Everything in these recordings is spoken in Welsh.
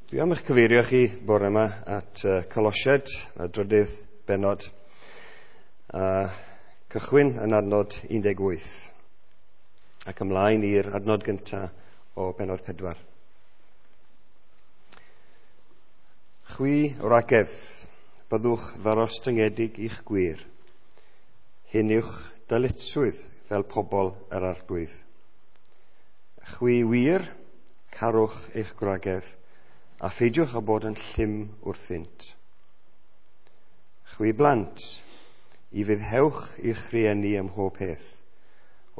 Dwi am eich cyfeirio chi bore yma at Colosiaid, y drydydd bennod, a cychwyn yn adnod 18 ac ymlaen i'r adnod gyntaf o bennod 4. Chwi wragedd, byddwch ddarostyngedig i'ch gwir. Hyn yw'ch dyletswydd fel pobl yr Arglwydd. Chwi wir, carwch eich gwragedd, a pheidiwch â bod yn llym wrthynt. Chwi blant, i fuddhewch i'ch rhieni ym mhob peth,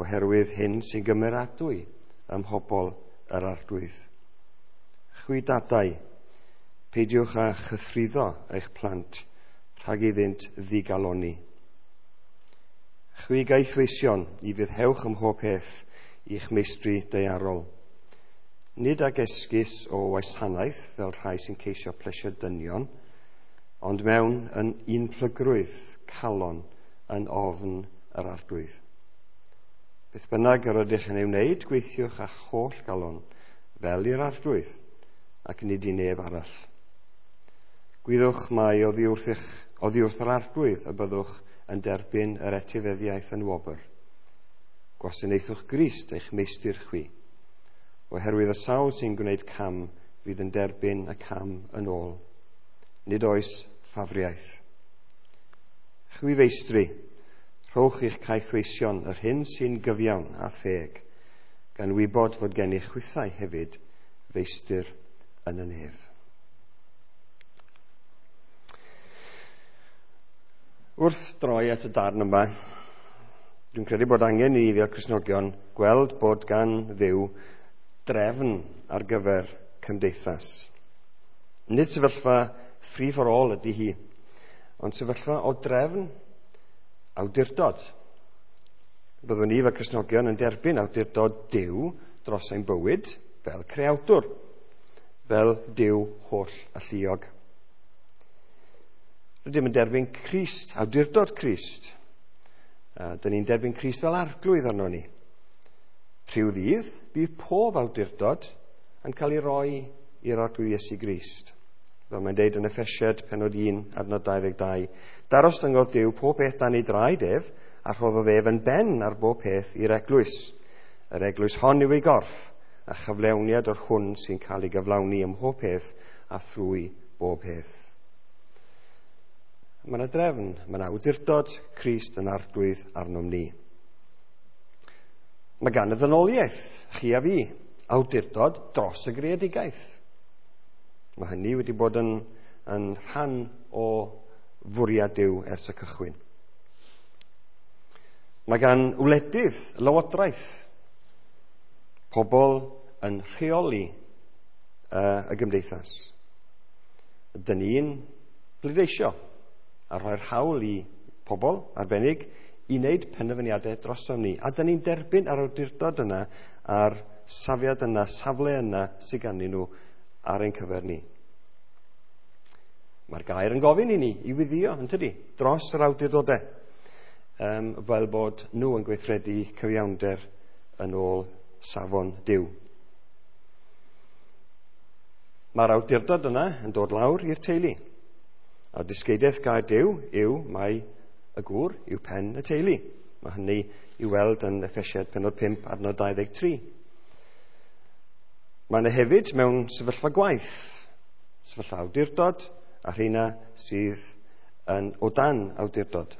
oherwydd hyn sy'n gymeradwy ym mhobl yr Arglwydd. Chwi dadau, peidiwch â chythruddo eich plant rhag iddynt ddigalonni. Chwi gaethweision, i fuddhewch ym mhob peth i'ch meistri daearol. Nid ag esgus o wasanaeth fel rhai sy'n ceisio plesio dynion, ond mewn yn unplygrwydd calon yn ofn yr Arglwydd. Beth bynnag yr ydych yn ei wneud, gweithiwch â'ch holl galon fel i'r Arglwydd, ac nid i neb arall. Gwyddwch mai oddi wrth yr Arglwydd y byddwch yn derbyn yr etifeddiaeth yn wobr. Gwasanaethwch Grist eich meistr chwi, oherwydd y sawl sy'n gwneud cam fydd yn derbyn y cam yn ôl. Nid oes ffafriaeth. Chwi feistri, rhowch i'ch caethweision yr hyn sy'n gyfiawn a theg, gan wybod fod gennych chwithau hefyd feistr yn y nef. Wrth droi at y darn yma, dwi'n credu bod angen i ni fel Cristnogion gweld bod gan Dduw drefn ar gyfer cymdeithas. Nid sefyllfa free for all ydy hi, ond sefyllfa o drefn awdurdod. Byddwn ni fel Cristnogion yn derbyn awdurdod Duw dros ein bywyd fel creawdwr, fel Duw holl alluog. Rydym yn derbyn Crist, awdurdod Crist. Dyn ni'n derbyn Crist fel arglwydd arno ni. Rhyw ddydd, bydd pob awdurdod yn cael ei roi i'r Arglwydd Iesu Grist. Fel mae'n deud yn Effesiaid pennod 1, adnod 22, darostyngodd Duw pob peth dan ei draed ef, a rhoddodd ef yn ben ar bob peth i'r eglwys. Yr eglwys hon yw ei gorff, a chyflewniad o'r hwn sy'n cael ei gyflawni ym mhob peth a thrwy bob peth. Mae yna drefn, mae yna awdurdod Crist yn arglwydd arnom ni. Mae gan y ddynoliaeth, chi a fi, awdurdod dros y greadigaeth. Mae hynny wedi bod yn rhan o fwriad Duw ers y cychwyn. Mae gan wledydd lywodraeth, pobl yn rheoli y gymdeithas. Dyn ni'n pleidleisio a rhoi'r hawl i pobl arbennig i wneud penderfyniadau drosom ni. A dyn ni'n derbyn yr awdurdod yna a'r safiad yna, safle yna sydd ganddyn nhw ar ein cyfer ni. Mae'r gair yn gofyn i ni i wyddio, yn tydi, dros yr awdurdodau, fel bod nhw yn gweithredu cyfiawnder yn ôl safon Duw. Mae'r awdurdod yna yn dod lawr i'r teulu. A dysgeidiaeth gair Duw yw mai y gŵr yw pen y teulu. Mae hynny i weld yn Effesiaid pennod 5, adnod 23. Mae yna hefyd mewn sefyllfa gwaith, sefyllfa awdurdod, a rheina sydd yn o dan awdurdod.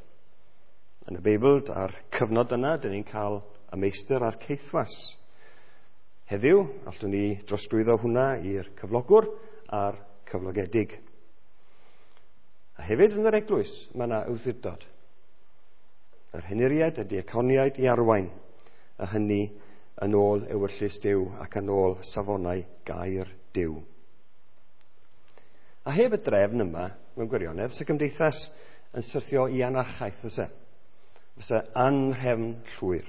Yn y Beibl, a'r cyfnod yna, dyn ni'n cael y meistr a'r caethwas. Heddiw, allwn ni drosglwyddo hwnna i'r cyflogwr a'r cyflogedig. A hefyd yn yr eglwys, mae yna awdurdod. Yr henuriaid, y diaconiaid i arwain, a hynny yn ôl ewyllys Duw ac yn ôl safonau gair Duw. A heb y drefn yma, mewn gwirionedd, sy'n gymdeithas yn syrthio i anarchaeth, fyse. Fyse anrhefn llwyr.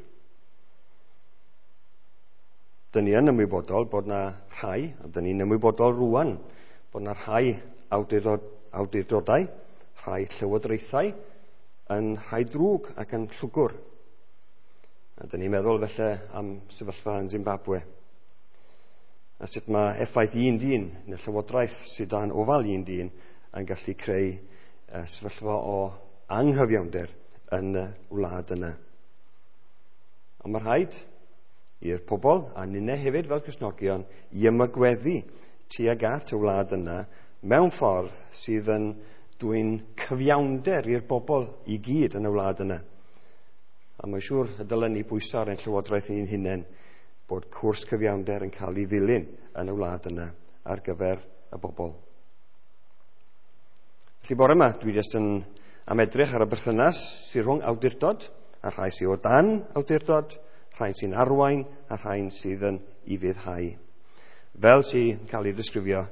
Dyn ni yn ymwybodol bod na rhai, a dyn ni'n ymwybodol rwan, bod na rhai awdurdodau, rhai llywodraethau, yn rhai drwg ac yn llwgwr. A dyn ni'n meddwl felly am sefyllfa yn Zimbabwe. A sut mae effaith un dyn, neu llywodraeth sydd dan ofal un dyn, yn gallu creu sefyllfa o anghyfiawnder yn y wlad yna. Ond mae rhaid i'r pobl, a ninne hefyd fel Cristnogion, i ymagweddu tuag at y wlad yna mewn ffordd sydd yn dwyn cyfiawnder i'r bobl i gyd yn y wlad yna. A mae'n siŵr y dylen ni bwyso ar ein llywodraeth ni'n hunain bod cwrs cyfiawnder yn cael ei ddilyn yn y wlad yna ar gyfer y bobl. Felly bore yma, dwi jyst yn am edrych ar y berthynas sydd rhwng awdurdod a rhai sydd o dan awdurdod, rhai sy'n arwain a rhai sydd yn ufuddhau. Fel sy'n cael ei ddisgrifio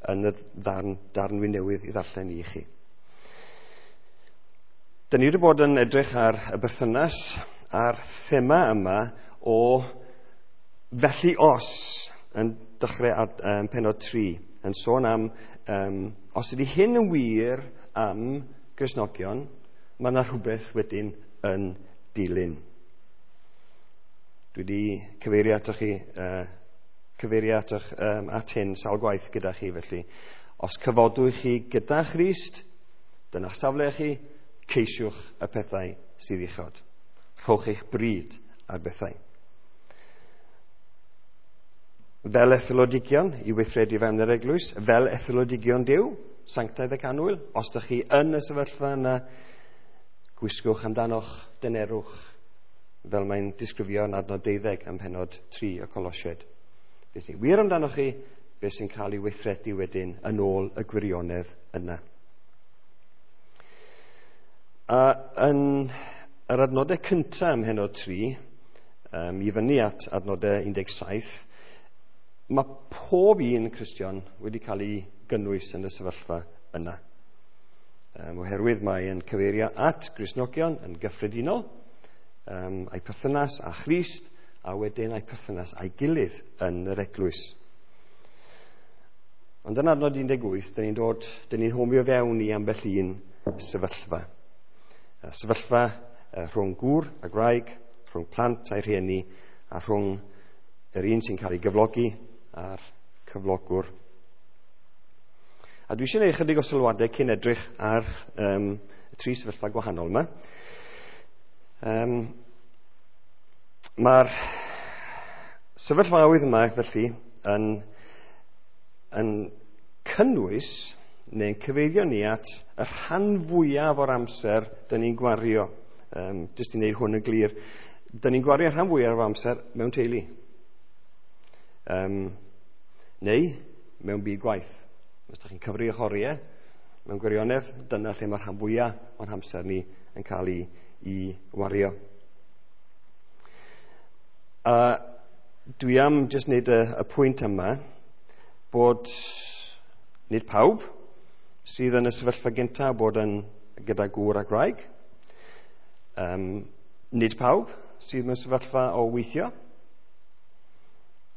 yn y darn wi newydd i ddarllen i chi. Dyn ni wedi bod yn edrych ar y berthynas a'r thema yma o felly os yn dechrau ar pennod 3 yn sôn am os ydy hyn yn wir am Gristnogion, mae yna rhywbeth wedyn yn dilyn. Dwi wedi cyfeirio atoch chi, at hyn sawl gwaith gyda chi felly. Os cyfodwch chi gyda Christ, dyna'ch safle chi, ceisiwch y pethau sydd uchod. Rhowch eich bryd ar bethau. Fel etholodigion i weithredu fewn yr eglwys, fel etholodigion Duw, sanctaidd ac annwyl, os ydych chi yn y sefyllfa yna, gwisgwch amdanoch dynerwch, fel mae'n disgrifio yn adnod 12 ym mhennod 3 y Colosiaid. Beth sy'n wir amdanoch chi, beth sy'n cael ei weithredu wedyn yn ôl y gwirionedd yna. A yn yr adnodau cyntaf ym mhennod 3, i fyny at adnodau 17, mae pob un Cristion wedi cael ei gynnwys yn y sefyllfa yna. Oherwydd mae'n cyfeirio at Gristnogion yn gyffredinol, a'i perthynas â Christ, a wedyn a'i perthynas â'i gilydd yn yr eglwys. Ond yn adnod 18, dyn ni'n homio fewn i ambell un sefyllfa. Sefyllfa rhwng gŵr a gwraig, rhwng plant a'i rhieni, a rhwng yr un sy'n cael ei gyflogi a'r cyflogwr. A dwi eisiau gwneud ychydig o sylwadau cyn edrych ar y tri sefyllfa gwahanol yma. Mae'r sefyllfaoedd yma felly yn cynnwys neu'n cyfeirio ni at y rhan fwyaf o'r amser dyn ni'n gwario. Jyst i wneud hwn yn glir, dyn ni'n gwario rhan fwyaf o'r amser mewn teulu. Neu mewn byd gwaith. Os ydych chi'n cyfri eich oriau, mewn gwirionedd, dyna lle mae'r rhan fwyaf o'n hamser ni yn cael ei wario. A dwi am jyst wneud y pwynt yma bod nid pawb sydd yn y sefyllfa gyntaf bod yn gyda gŵr a gwraig. Nid pawb sydd mewn sefyllfa o weithio.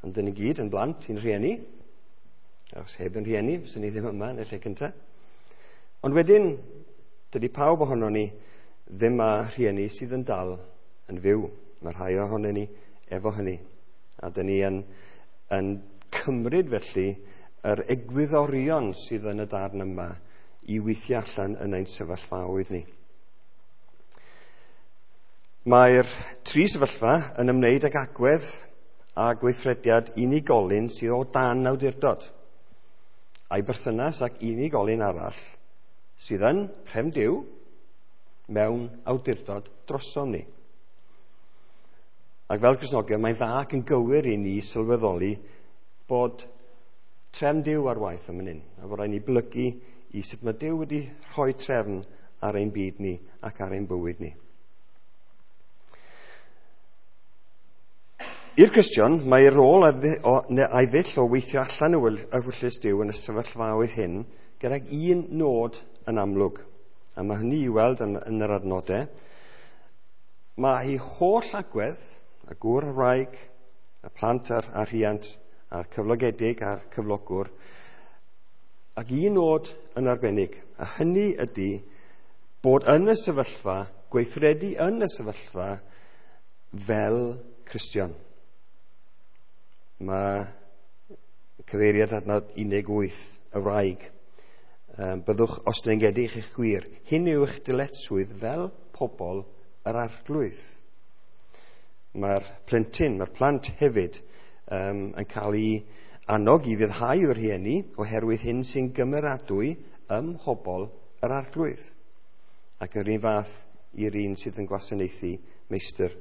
Ond dyn ni gyd yn blant i'n rhieni. Os heb yn rhieni, fyswn ni ddim yma yn y lle cyntaf. Ond wedyn, dydy pawb ohono ni ddim â rhieni sydd yn dal yn fyw. Mae rhai ohono ni efo hynny. A dyn ni yn cymryd felly yr egwyddorion sydd yn y darn yma i weithio allan yn ein sefyllfaoedd ni. Mae'r tri sefyllfa yn ymwneud ag agwedd a gweithrediad unigolyn sydd o dan awdurdod, a'i berthynas ac unigolyn arall sydd yn rhem Duw mewn awdurdod drosom ni. Ac fel Cristnogion, mae'n dda ac yn gywir i ni sylweddoli bod trefn Duw ar waith am hyn, a bod rhaid ni blygu i sut mae Duw wedi rhoi trefn ar ein byd ni ac ar ein bywyd ni. I'r Cristion, mae rôl a'i ddull o weithio allan ewyllys Duw yn y sefyllfaoedd hyn gydag un nod yn amlwg. A mae hynny i weld yn yr adnodau. Mae ei holl agwedd, y gŵr a'r wraig, y plant a'r rhiant, a'r cyflogedig a'r cyflogwr, ac un nod yn arbennig, a hynny ydy bod yn y sefyllfa, gweithredu yn y sefyllfa fel Cristion. Mae Cyfeiriad adnod 18, y wraig. Byddwch ostyngedig i'ch gwir. Hyn yw eich dyletswydd fel pobl yr Arglwydd. Mae'r plentyn, mae'r plant hefyd yn cael ei annog i fyddhau o'r rhieni oherwydd hyn sy'n gymeradwy ym mhobl yr Arglwydd. Ac yr un fath i'r un sydd yn gwasanaethu meistr.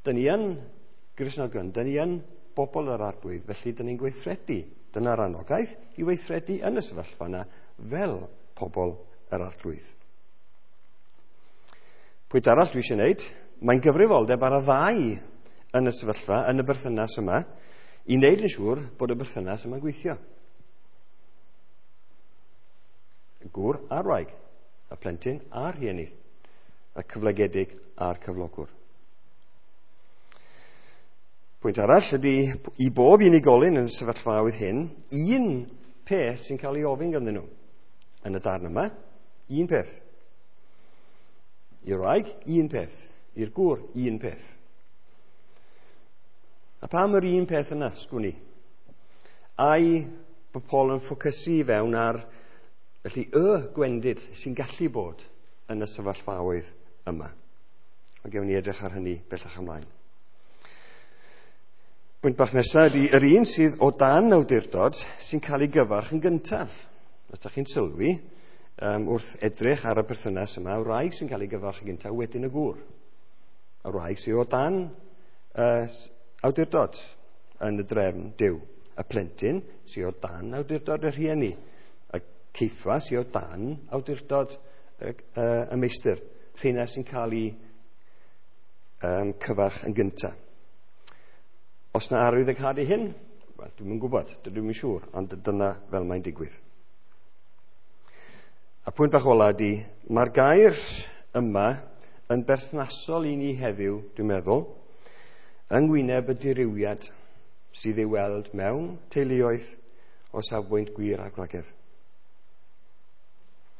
Dyn ni yn Gristnogion, dyn ni yn bobl yr Arglwydd, felly dyn ni'n gweithredu. Dyna'r anogaeth i weithredu yn y sefyllfa yna fel pobl yr Arglwydd. Pwynt arall dwi eisiau gwneud, mae'n gyfrifoldeb ar y ddau yn y sefyllfa, yn y berthynas yma, i wneud yn siŵr bod y berthynas yma'n gweithio. Y gŵr a'r wraig, y plentyn a'r rhieni, y cyflogedig a'r cyflogwr. Pwynt arall ydy i bob unigolyn yn y sefyllfaoedd hyn, un peth sy'n cael ei ofyn ganddyn nhw yn y darn yma, un peth. I'r wraig, un peth. I'r gŵr, un peth. A pam yr un peth yna, sgwn i? Ai bod Paul yn ffocysu i fewn ar felly y gwendid sy'n gallu bod yn y sefyllfaoedd yma. Ond gewn ni edrych ar hynny bellach ymlaen. Pwynt bach nesaf ydy yr un sydd o dan awdurdod sy'n cael ei gyfarch yn gyntaf. Os ydych chi'n sylwi, wrth edrych ar y perthynas yma, y wraig sy'n cael ei gyfarch yn gyntaf wedyn y gŵr. Y wraig sydd o dan awdurdod yn y drefn Duw. Y plentyn sydd o dan awdurdod y rhieni. Y ceithwa sydd o dan awdurdod y meistr. Rheina sy'n cael ei cyfarch yn gyntaf. Os na arwydd y cad i hyn, wel, dwi'm yn gwybod, dydw i'm yn siŵr, ond dyna fel mae'n digwydd. A pwynt bach ola ydy, mae'r gair yma yn berthnasol i ni heddiw, dwi'n meddwl, yng ngwyneb y dirywiad sydd ei weld mewn teuluoedd o safbwynt gwir a gwragedd.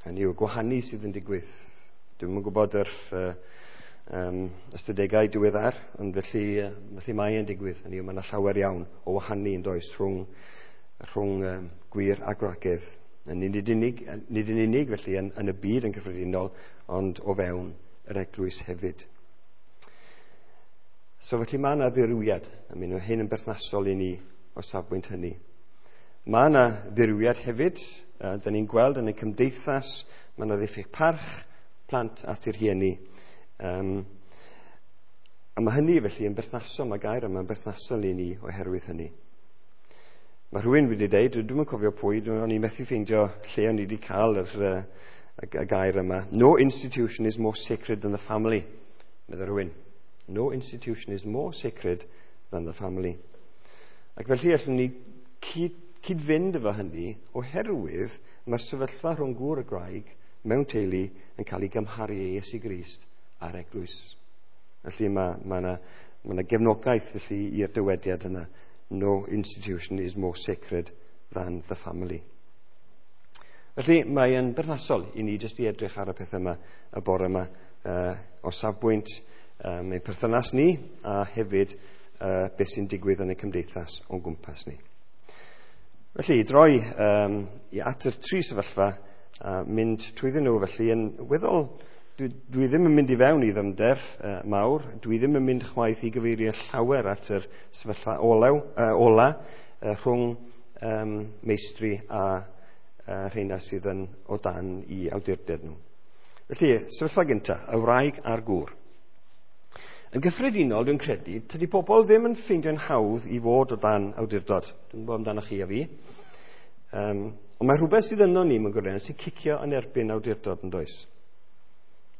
Hynny yw, gwahanu sydd yn digwydd. Dwi'm yn gwybod yr ystadegau diweddar, ond felly mae e'n digwydd. Hynny yw, mae yna llawer iawn o wahanu yn does rhwng gwir a gwragedd. Nid yn unig felly yn y byd yn cyffredinol, ond o fewn yr eglwys hefyd. So felly mae yna ddirywiad. I mean, mae hyn yn berthnasol i ni o safbwynt hynny. Mae yna ddirywiad hefyd. Dyn ni'n gweld yn y cymdeithas, mae yna ddiffyg parch plant at eu rhieni. A mae hynny felly yn berthnasol, mae gair yma yn berthnasol i ni oherwydd hynny. Mae rhywun wedi dweud, dwi'm yn cofio pwy, o'n i'n methu ffeindio lle o'n i wedi cael y gair yma. No institution is more sacred than the family, meddai rhywun. No institution is more sacred than the family. Ac felly allwn ni cyd-fynd efo hynny oherwydd mae'r sefyllfa rhwng gŵr a gwraig mewn teulu yn cael ei gymharu â Iesu Grist a'r eglwys. Felly mae yna gefnogaeth felly i'r dywediad yna. No institution is more sacred than the family. Felly mae'n berthnasol i ni jyst i edrych ar y peth yma y bore yma o safbwynt ein perthynas ni a hefyd beth sy'n digwydd yn y cymdeithas o'n gwmpas ni. Felly i droi i at yr tri sefyllfa a mynd trwyddyn nhw felly yn weddol. Dwi ddim yn mynd i fewn i ddyfnder mawr, dwi ddim yn mynd chwaith i gyfeirio llawer at yr sefyllfa ola rhwng meistri a rheina sydd yn o dan i awdurdod nhw. Felly, sefyllfa gyntaf, y wraig a'r gŵr. Yn gyffredinol, dwi'n credu, tydi pobl ddim yn ffeindio'n hawdd i fod o dan awdurdod. Dwi'n gwybod amdano chi a fi. Ond mae rhywbeth sydd yno ni mewn gwirionedd sy'n cicio yn erbyn awdurdod yn does.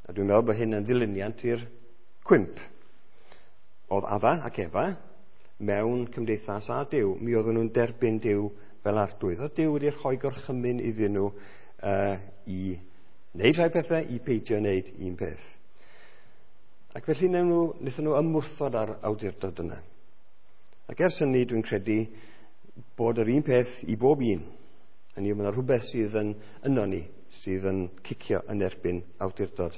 A dwi'n meddwl bod hyn yn ddilyniant i'r cwymp. Oedd Adda ac Efa mewn cymdeithas â Duw. Mi oedden nhw'n derbyn Duw fel arglwydd. Oedd Duw wedi rhoi gorchymyn iddyn nhw i wneud rhai pethau, i peidio wneud un peth. Ac felly wnaethon nhw ymwrthod â'r awdurdod yna. Ac ers hynny dwi'n credu bod yr un peth i bob un. Hynny yw, mae yna rhywbeth sydd yn yno ni, sydd yn cicio yn erbyn awdurdod.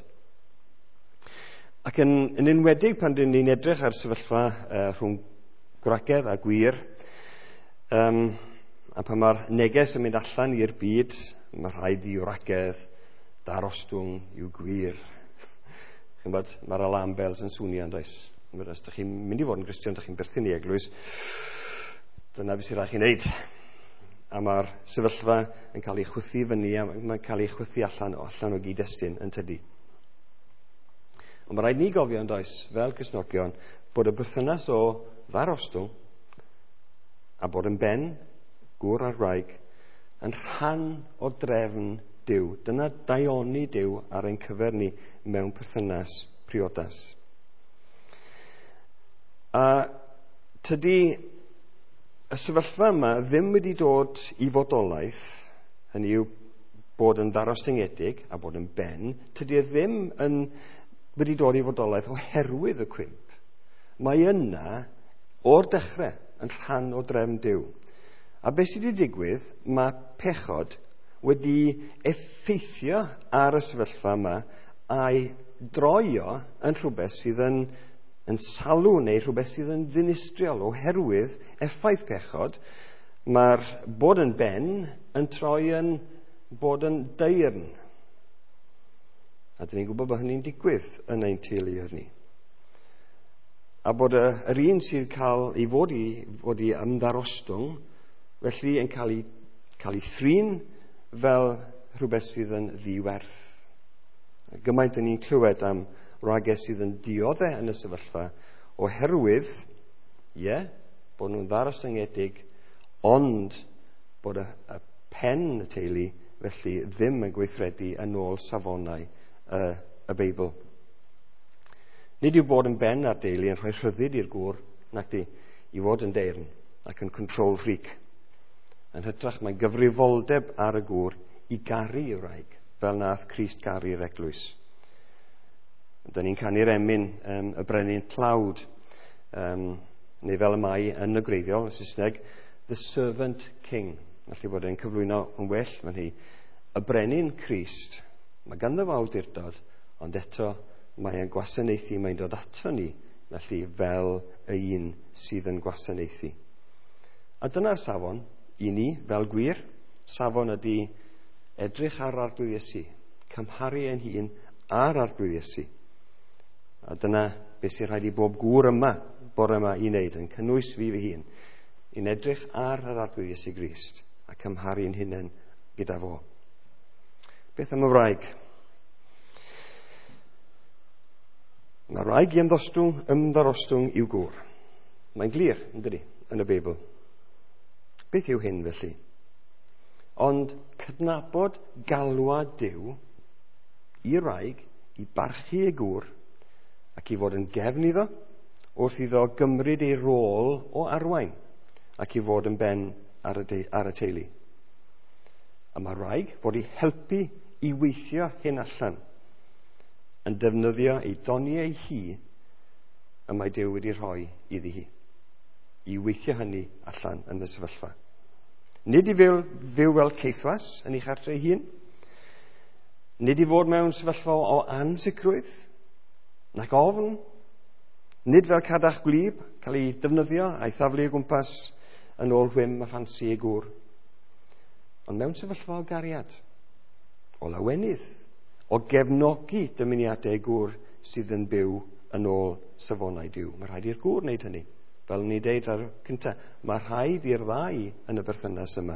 Ac yn enwedig pan dyn ni'n edrych ar sefyllfa rhwng gwragedd a gwir, A pan mae'r neges yn mynd allan i'r byd, mae rhaid i wragedd darostwng i'w gwir. Ch'mod, mae'r alarm bells yn swnio, yn does? Os ydych chi'n mynd i fod yn Gristion, ydych chi'n berthyn i eglwys, dyna beth sy'n rhaid chi wneud. A mae'r sefyllfa yn cael ei chwythu fyny, a mae'n cael ei chwythu allan o gyd-destun yn tydi. Ond mae rhaid ni gofio, yn does, fel Cristnogion, bod y berthynas o ddarostwng a bod yn ben, gŵr a'r wraig, yn rhan o drefn Duw. Dyna daioni Duw ar ein cyfer ni mewn perthynas priodas. A tydi y sefyllfa yma ddim wedi dod i fodolaeth, hynny yw bod yn ddarostyngedig a bod yn ben, tydi e ddim yn wedi dod i fodolaeth oherwydd y cwymp. Mae yna o'r dechrau yn rhan o drefn Duw. A beth sydd wedi digwydd, mae pechod wedi effeithio ar y sefyllfa yma a'i droio yn rhywbeth sydd yn salw neu rhywbeth sydd yn ddinistriol. Oherwydd effaith pechod, mae'r bod yn ben yn troi yn bod yn deyrn. A dyn ni'n gwybod bod hynny'n digwydd yn ein teuluoedd ni. A bod yr un sydd cael ei fod i ymddarostwng, felly yn cael ei thrin fel rhywbeth sydd yn ddiwerth. Gymaint yn ni'n clywed am wragedd sydd yn dioddef yn y sefyllfa oherwydd, ie, bod nhw'n ddarostyngedig, ond bod y pen y teulu felly ddim yn gweithredu yn ôl safonau y Beibl. Nid yw bod yn ben ar deulu yn rhoi rhyddid i'r gŵr, nac di, i fod yn deyrn ac yn control freak. Yn hytrach, mae'n gyfrifoldeb ar y gŵr i garu ei wraig, fel nath Crist garu'r eglwys. Dyna ni'n canu'r emyn, y brenin tlawd, neu fel y mae yn y gwreiddiol, yn Saesneg, The Servant King. Felly bod e'n cyflwyno yn well fan hi. Y brenin Crist, mae ganddo fo awdurdod, ond eto mae e'n gwasanaethu, mae'n dod ato ni, felly fel y un sydd yn gwasanaethu. A dyna'r safon i ni, fel gwir. Safon ydy edrych ar Arglwydd Iesu, cymharu ein hun ar Arglwydd Iesu. A dyna beth sy'n rhaid i bob gŵr yma, bore yma, i wneud, yn cynnwys fi fy hun, i'n edrych ar yr Arglwydd Iesu Grist a cymharu'n hunain gyda fo. Beth am y wraig? Mae'r wraig i ymddarostwng i'w gŵr. Mae'n glir, yn dydi, yn y Beibl. Beth yw hyn felly? Ond cydnabod galwad Duw i'r wraig i barchu ei gŵr ac i fod yn gefn iddo wrth iddo gymryd ei rôl o arwain ac i fod yn ben ar y teulu. A mae'r wraig fod i helpu i weithio hyn allan yn defnyddio ei doniau hi y mae Duw wedi rhoi iddi hi, i weithio hynny allan yn y sefyllfa. Nid i fyw fel caethwas yn ei chartre ei hun, nid i fod mewn sefyllfa o ansicrwydd, nac ofn, nid fel cadach gwlyb, cael ei defnyddio a'i thaflu o gwmpas yn ôl whim a ffansi ei gŵr, ond mewn sefyllfa o gariad, o lawenydd, o gefnogi dymuniadau gŵr sydd yn byw yn ôl safonau Duw. Mae rhaid i'r gŵr wneud hynny. Fel ni deud ar cyntaf, mae rhaid i'r ddau yn y berthynas yma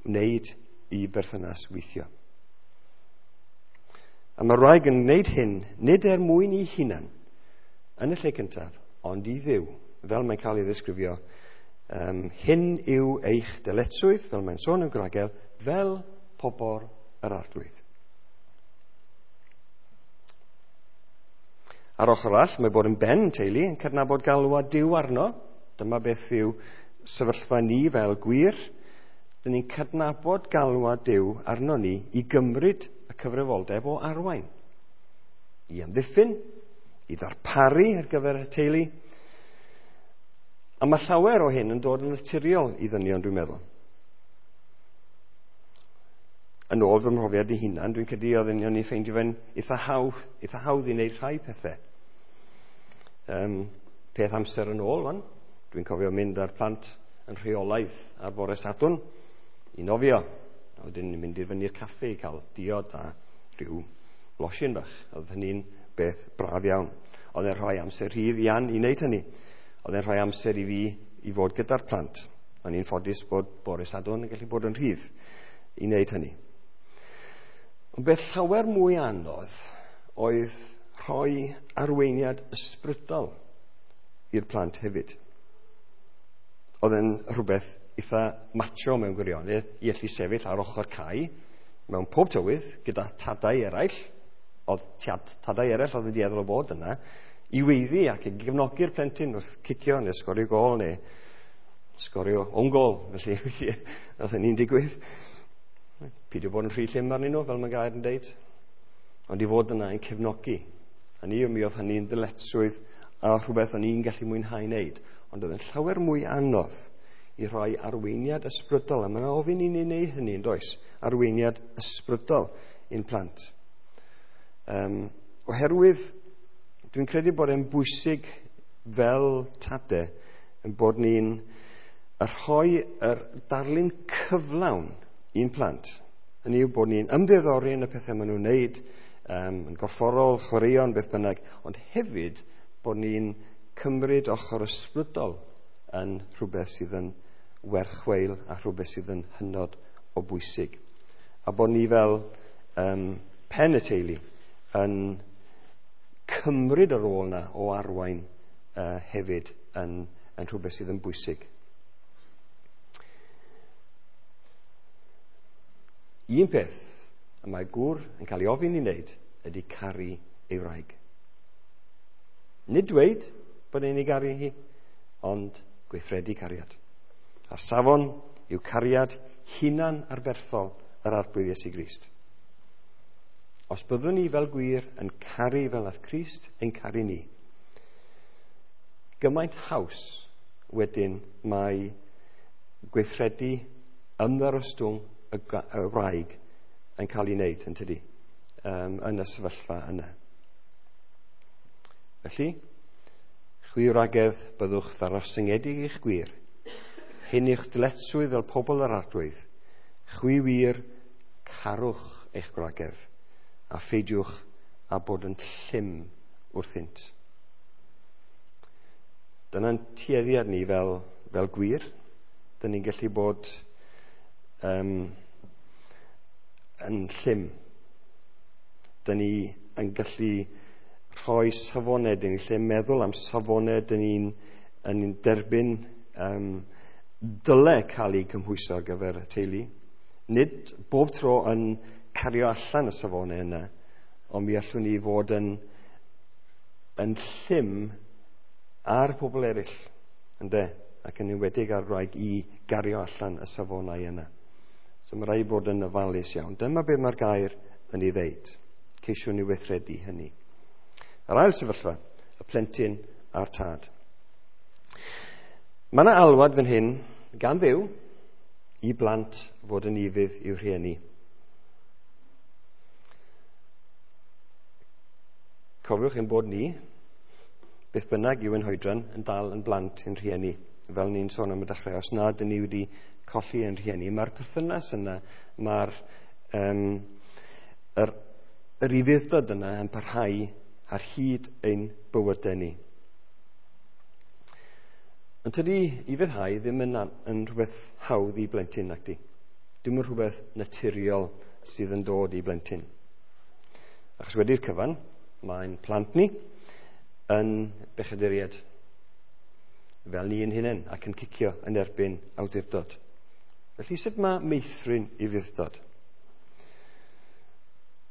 wneud i berthynas weithio. A mae'r wraig yn wneud hyn, nid er mwyn i hunan, yn y lle cyntaf, ond i Dduw, fel mae'n cael ei ddisgrifio. Hyn yw eich dyletswydd, fel mae'n sôn yn Gwragel, fel pobl yr Arglwydd. Ar ochr arall, mae bod yn ben teulu yn cydnabod galwad Duw arno. Dyma beth yw sefyllfa ni fel gwir. Dyn ni'n cydnabod galwad Duw arno ni i gymryd y cyfrifoldeb o arwain, i amddiffyn, i ddarparu ar gyfer y teulu. A mae llawer o hyn yn dod yn naturiol i ddynion, dwi'n meddwl. Yn ôl fy mhrofiad i hunan, dwi'n credu oedd o'n i'n ffeindio fe'n eitha hawdd i wneud rhai pethau. Peth amser yn ôl, wan. Dwi'n cofio mynd â'r plant yn rheolaidd ar bore Sadwrn i nofio. A wedyn ni'n mynd i fyny'r caffi i cael diod a rhyw losin bach. Oedd hynny'n beth braf iawn. Oedd e'n rhoi amser rhydd i Ann i wneud hynny. Oedd e'n rhoi amser i fi i fod gyda'r plant. O'n i'n ffodus bod bore Sadwrn yn gallu bod yn rhydd i wneud hynny. Ond beth llawer mwy anodd oedd rhoi arweiniad ysbrydol i'r plant hefyd. Oedd e'n rhywbeth eitha macho mewn gwirionedd i allu sefyll ar ochr cae mewn pob tywydd gyda tadau eraill, oedd tadau eraill oedd yn dueddol o bod yna, i weiddi ac i gefnogi'r plentyn wrth cicio neu sgorio gôl neu sgorio own goal. Felly, oedd hynny'n digwydd. Peidio bod yn rhy llym arnyn nhw, fel mae gair yn deud. Ond i fod yna yn cefnogi. Hynny yw, mi oedd hynny'n ddyletswydd a rhywbeth o'n i'n gallu mwynhau wneud. Ond oedd yn llawer mwy anodd i rhoi arweiniad ysbrydol. A mae'n ofyn i ni wneud hynny, yn does? Arweiniad ysbrydol i'n plant. Oherwydd, dwi'n credu bod e'n bwysig fel tade yn bod ni'n rhoi yr darlun cyflawn i'n plant. Hynny yw bod ni'n ymddiddori yn y pethau maen nhw'n wneud, yn gorfforol, chwaraeon, beth bynnag, ond hefyd bod ni'n cymryd ochr ysbrydol yn rhywbeth sydd yn werth chweil a rhywbeth sydd yn hynod o bwysig. A bod ni fel pen y teulu yn cymryd y rôl yna o arwain hefyd yn rhywbeth sydd yn bwysig. Un peth y mae gŵr yn cael ei ofyn i wneud ydy caru ei wraig. Nid dweud bod e'n ei garu hi, ond gweithredu cariad. A safon yw cariad hunan arferthol yr Arglwydd Iesu Grist. Os byddwn ni fel gwir yn caru fel nath Crist ein caru ni, gymaint haws wedyn mae gweithredu ymddarostwng y wraig yn cael ei wneud, yn tydi, yn y sefyllfa yna. Felly, chwi wragedd, byddwch ddarostyngedig i'ch gwir. Hyn i'ch dyletswydd fel pobl yr Arglwydd. Chwi wir, carwch eich gwragedd, a pheidiwch â bod yn llym wrthynt. Dyna'n tueddiad ni fel gwir. Dyn ni'n gallu bod yn llym. Dyn ni yn gallu rhoi safonau, dyn ni'n lle meddwl am safonau, dyn ni'n derbyn dyle cael ei cymhwyso ar gyfer y teulu. Nid bob tro yn cario allan y safonau yna, ond mi allwn ni fod yn llym ar pobl eraill, ynde, ac yn enwedig ar wraig i gario allan y safonau yna. So mae rhaid bod yn ofalus iawn. Dyma beth mae'r gair yn ei ddeud. Ceisiwn ni weithredu hynny. Yr ail sefyllfa, y plentyn a'r tad. Mae yna alwad fan hyn gan Dduw i blant fod yn ufudd i'w rhieni. Cofiwch ein bod ni, beth bynnag yw ein hoedran, yn dal yn blant i'n rhieni. Fel ni'n sôn am y dechrau, os nad ydyn ni wedi colli ein rhieni, mae'r perthynas yna, mae'r yr ufudd-dod yna yn parhau ar hyd ein bywydau ni. Ond tydi ufuddhau ddim yn rhywbeth hawdd i blentyn, nac di. Dim yn rhywbeth naturiol sydd yn dod i blentyn. Achos wedi'r cyfan, mae'n plant ni yn bechaduriaid, fel ni yn hunain, ac yn cicio yn erbyn awdurdod. Felly, sut mae meithrin ufudd-dod?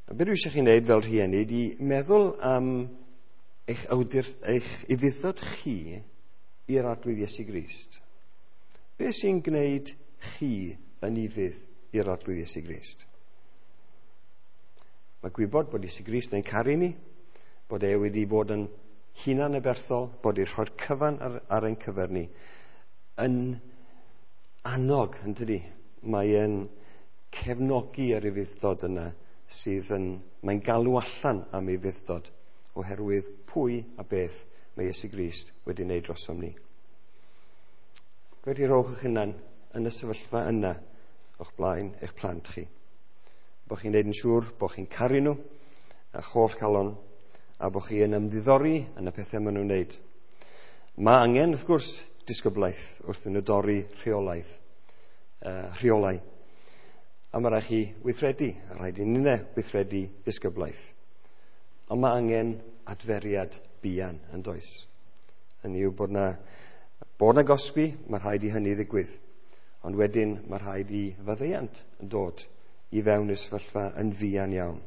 A beth dwi eisiau chi wneud fel rhieni ydy meddwl am eich ufudd-dod chi i'r Arglwydd Iesu Grist. Be sy'n gwneud chi yn ufudd i'r Arglwydd Iesu Grist? Mae gwybod bod Iesu Grist yn caru ni, bod e wedi bod yn hunan aberthol, bod e'n rhoi'r cyfan ar ein cyfer ni, yn annog, yn tydi? Mae e'n cefnogi yr ufudd-dod yna sydd yn, mae'n galw allan am ufudd-dod oherwydd pwy a beth mae Iesu Grist wedi wneud drosom ni. Gwedi rhowch eich hunan yn y sefyllfa yna o'ch blaen eich plant chi. Bo chi'n neud yn siŵr bo chi'n caru nhw a'ch holl calon, a bo chi yn ymddiddori yn y pethau maen nhw'n wneud. Mae angen, wrth gwrs, disgyblaeth wrth nhw dorri rheolau. A mae rhaid chi weithredu, a rhaid i ninne weithredu disgyblaeth. Ond mae angen adferiad buan yn does. Hynny yw bod na gosbi, mae rhaid i hynny ddigwydd. Ond wedyn mae rhaid i faddeuant yn dod i fewn i'r sefyllfa yn fuan iawn.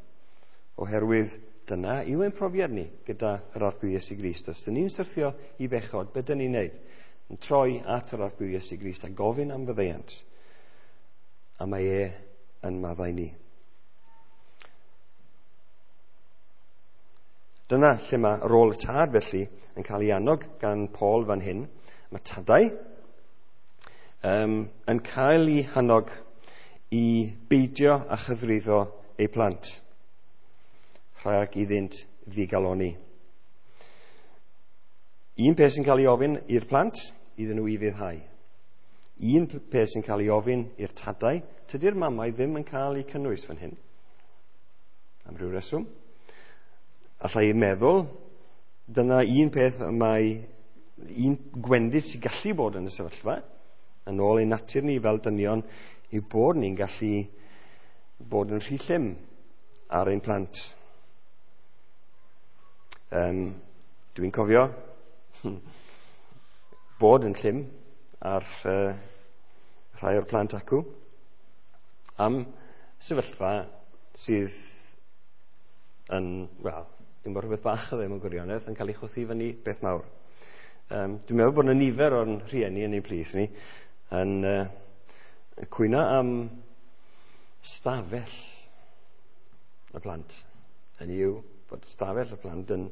Oherwydd dyna yw ein profiad ni gyda yr Arglwydd Iesu Grist. Os dyn ni'n syrthio i bechod, beth dyn ni'n neud? Yn troi at yr Arglwydd Iesu Grist a gofyn am faddeuant. A mae e yn maddau ni. Dyna lle mae rôl y tad felly yn cael ei annog gan Paul fan hyn. Mae tadau yn cael ei hannog i beidio a chythruddo eu plant, rhag iddynt ddigaloni. Un peth sy'n cael ei ofyn i'r plant, iddyn nhw ufuddhau. Un peth sy'n cael ei ofyn i'r tadau, tydi'r mamau ddim yn cael eu cynnwys fan hyn, am ryw reswm. Alla i meddwl, dyna un peth mae un gwendid sy'n gallu bod yn y sefyllfa, yn ôl ein natur ni fel dynion, yw bod ni'n gallu bod yn rhy llym ar ein plant. Dwi'n cofio bod yn llym ar rhai o'r plant acw am sefyllfa sydd yn, wel, dim bod rhywbeth bach o ddim yn gwirionedd, yn cael ei chwthu fyny beth mawr. Dwi'n meddwl bod yna nifer o'n rhieni yn ein plith ni yn cwyno am stafell y plant. Hynny yw bod stafell y plant yn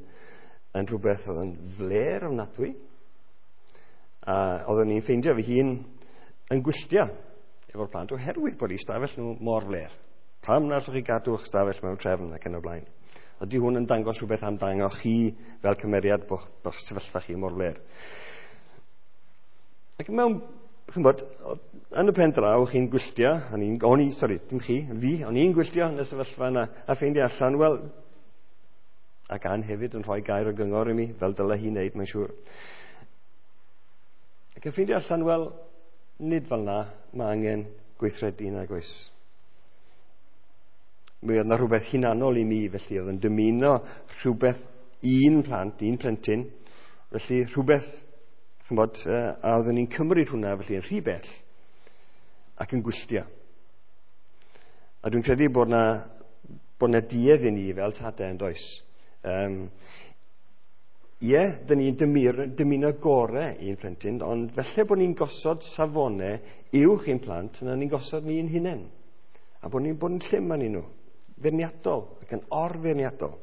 rhywbeth oedd yn fler ofnadwy. A oeddwn i'n ffeindio fy hun yn gwylltio efo'r plant oherwydd bod eu stafell nhw mor fler. Pam na allwch chi gadw'ch stafell mewn trefn ac yn y blaen? Ydy hwn yn dangos rhywbeth amdano chi fel cymeriad bo'ch sefyllfa chi mor fler? Ac mewn, ch'mbod, yn y pen draw, chi'n gwylltio, o'n i'n gwylltio yn y sefyllfa yna, a ffeindio allan, wel, ac Ann hefyd yn rhoi gair o gyngor i mi, fel dyle hi wneud, mae'n siŵr. Ac yn ffeindio allan, wel, nid fel na, mae angen gweithredu nag oes. Mi oedd yna rhywbeth hunanol i mi, felly oedd yn dymuno rhywbeth un plant, un plentyn, felly rhywbeth, ch'mbod, a oeddwn i'n cymryd hwnna felly yn rhy bell ac yn gwylltio. A dwi'n credu bod na duedd i ni fel tadau yn does. Ie, dyn ni'n dymuno gore i'n plentyn, ond felly bod ni'n gosod safonau uwch i'n plant, yna ni'n gosod ni'n hunain. A bod ni'n bod yn llym arnyn nhw, feirniadol ac yn orfeirniadol.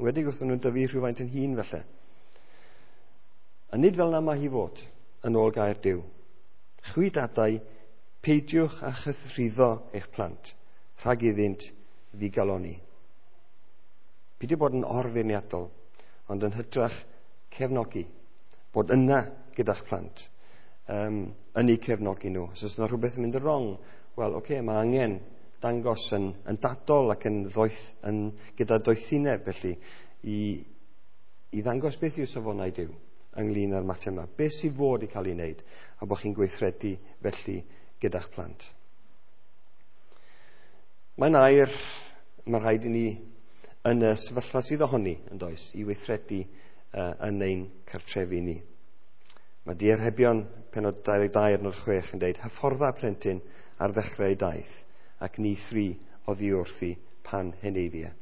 Wedi wrth nhw'n dyfu rhywfaint yn hun felly. A nid fel na mae hi fod, yn ôl gair Duw. Chwi dadau, peidiwch â chythruddo eich plant, rhag iddynt ddigaloni. Peidio bod yn orfeirniadol, ond yn hytrach cefnogi. Bod yna gyda'ch plant, yn eu cefnogi nhw. Os oes yna rhywbeth yn mynd yn wrong, wel, oce, mae angen dangos yn dadol ac yn ddoeth, gyda doethineb felly, i ddangos beth yw safonau Duw ynglyn â'r mater yma. Beth sydd fod i cael ei wneud, a bod chi'n gweithredu felly gyda'ch plant. Mae'n air, mae rhaid i ni yn y sefyllfa sydd ohoni, yn does, i weithredu yn ein cartrefi ni. Mae Diarhebion penod 22 adnod 6 yn dweud, hyffordda plentyn ar ddechrau ei daith, ac ni thri oddi wrthi pan heneiddia.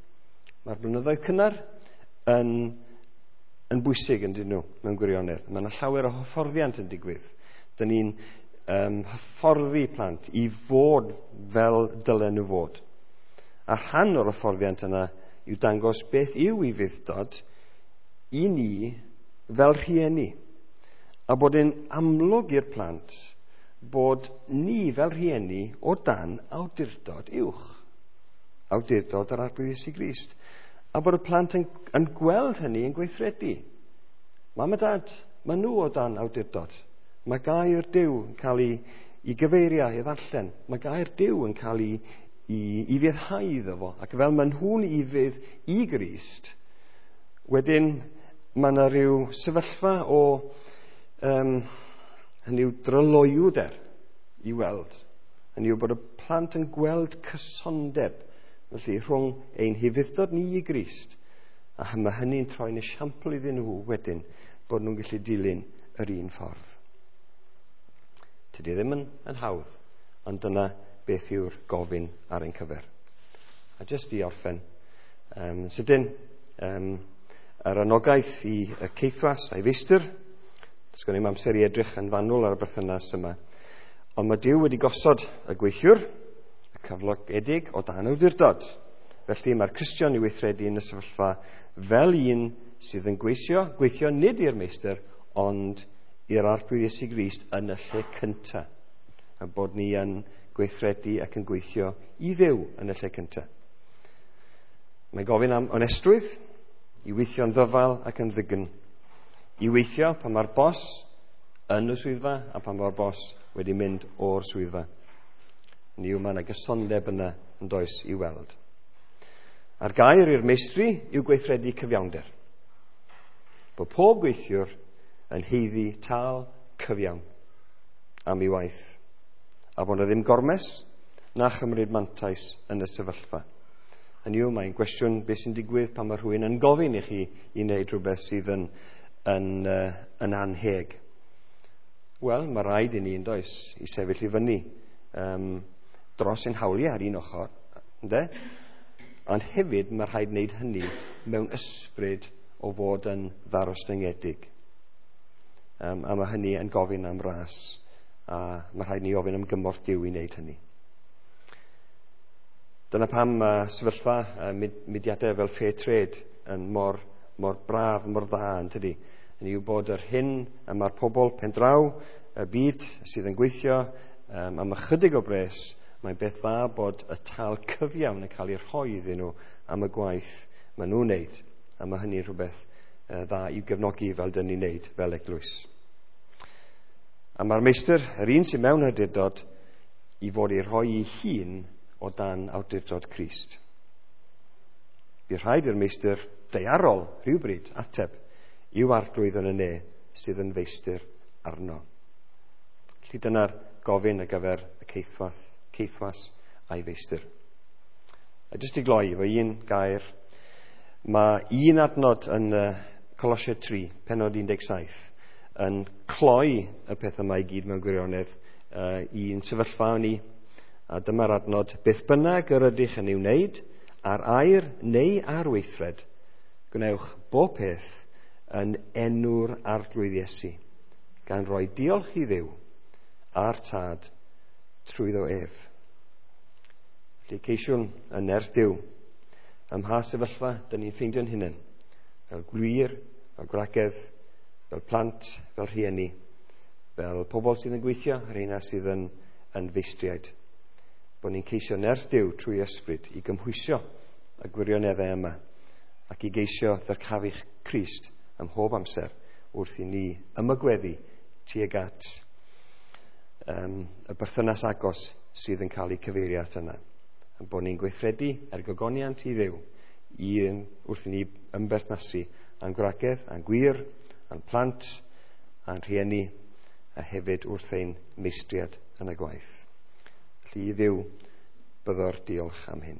Mae'r blynyddoedd cynnar yn bwysig yn dyn nhw mewn gwirionedd. Mae yna llawer o hyfforddiant yn digwydd. Dyn ni'n hyfforddi plant i fod fel dylen nhw fod. A rhan o'r hyfforddiant yna yw dangos beth yw ufudd-dod i ni fel rhieni. A bod yn amlwg i'r plant bod ni fel rhieni o dan awdurdod uwch. Awdurdod yr Arglwydd Iesu Grist. A bod y plant yn gweld hynny yn gweithredu. Mam a dad, maen nhw o dan awdurdod. Mae gair Duw yn cael ei gyfeirio, ei ddarllen. Mae gair Duw yn cael ei ufuddhau iddo fo. Ac fel maen nhw'n ufudd i Grist, wedyn mae yna rhyw sefyllfa o hynny yw dryloywder i weld. Hynny yw bod y plant yn gweld cysondeb felly rhwng ein hufudd-dod ni i Grist, a mae hynny'n troi'n esiampl iddyn nhw wedyn bod nhw'n gallu dilyn yr un ffordd. Tydi ddim yn hawdd, ond dyna beth yw'r gofyn ar ein cyfer. A jyst i orffen, sydyn, yr anogaeth i y caethwas a'i feistr, does gen i'm amser i edrych yn fanwl ar y berthynas yma, ond mae Duw wedi gosod y gweithiwr, y cyflogedig, o dan awdurdod. Felly mae'r Cristion i weithredu yn y sefyllfa fel un sydd yn gweithio nid i'r meistr, ond i'r Arglwydd Iesu Grist yn y lle cyntaf. A bod ni yn gweithredu ac yn gweithio i Dduw yn y lle cyntaf. Mae'n gofyn am onestrwydd, i weithio'n ddyfal ac yn ddygn. I weithio pan mae'r bos yn y swyddfa a pan mae'r bos wedi mynd o'r swyddfa. Ni yw mae yna gysondeb yna yn does i weld. A'r gair i'r meistri yw gweithredu cyfiawnder. Bod pob gweithiwr yn haeddu tâl cyfiawn am ei waith, a bod yna ddim gormes na chymryd mantais yn y sefyllfa. Hynny yw, mae'n gwestiwn beth sy'n digwydd pan mae rhywun yn gofyn i chi i wneud rhywbeth sydd yn anheg. Wel, mae rhaid i ni, yn does, i sefyll i fyny dros ein hawliau ar un ochr, ynde? Ond hefyd mae rhaid wneud hynny mewn ysbryd o fod yn ddarostyngedig. A mae hynny yn gofyn am ras, a mae rhaid ni ofyn am gymorth Duw i wneud hynny. Dyna pam mae sefyllfa mudiadau fel Fair Trade yn mor braf, mor dda, yn tydi. Hynny yw bod yr hyn y mae'r pobl pendraw, y byd sydd yn gweithio am ychydig o bres, mae'n beth dda bod y tâl cyfiawn yn cael ei rhoi iddyn nhw am y gwaith maen nhw'n wneud. A mae hynny'n rhywbeth dda i'w gefnogi fel dyn ni'n wneud fel eglwys. A mae'r meistr, yr un sy'n mewn awdurdod, i fod ei rhoi ei hun o dan awdurdod Crist. Bydd rhaid i'r meistr daearol rhywbryd ateb i'w arglwydd yn y ne sydd yn feistr arno. Felly dyna'r gofyn ar gyfer y caethwas a'i feistr. A jyst i gloi efo un gair, mae un adnod yn Colosiaid 3, pennod 17, yn cloi y peth yma i gyd mewn gwirionedd i'n sefyllfa ni. A dyma'r adnod: beth bynnag yr ydych yn ei wneud, ar air neu ar weithred, gwnewch bob peth yn enw'r Arglwydd Iesu, gan roi diolch i Dduw a'r Tad trwyddo ef. Felly ceisiwn yn nerth Duw, ym mha sefyllfa dyn ni'n ffeindio'n hunain, fel gwŷr, fel gwragedd, fel plant, fel rhieni, fel pobl sydd yn gweithio, a'r rheina sydd yn feistriaid. Bod ni'n ceisio nerth Duw trwy ysbryd i gymhwysio y gwirioneddau yma ac i geisio ddyrchafu Crist ym mhob amser wrth i ni ymagweddu tuag at y berthynas agos sydd yn cael ei cyfeirio at yna. A bod ni'n gweithredu er gogoniant i Dduw wrth i ni ymberthnasu â'n gwragedd, â'n gwŷr, â'n plant, â'n rhieni, a hefyd wrth ein meistriad yn y gwaith. Felly i Dduw byddo'r diolch am hyn.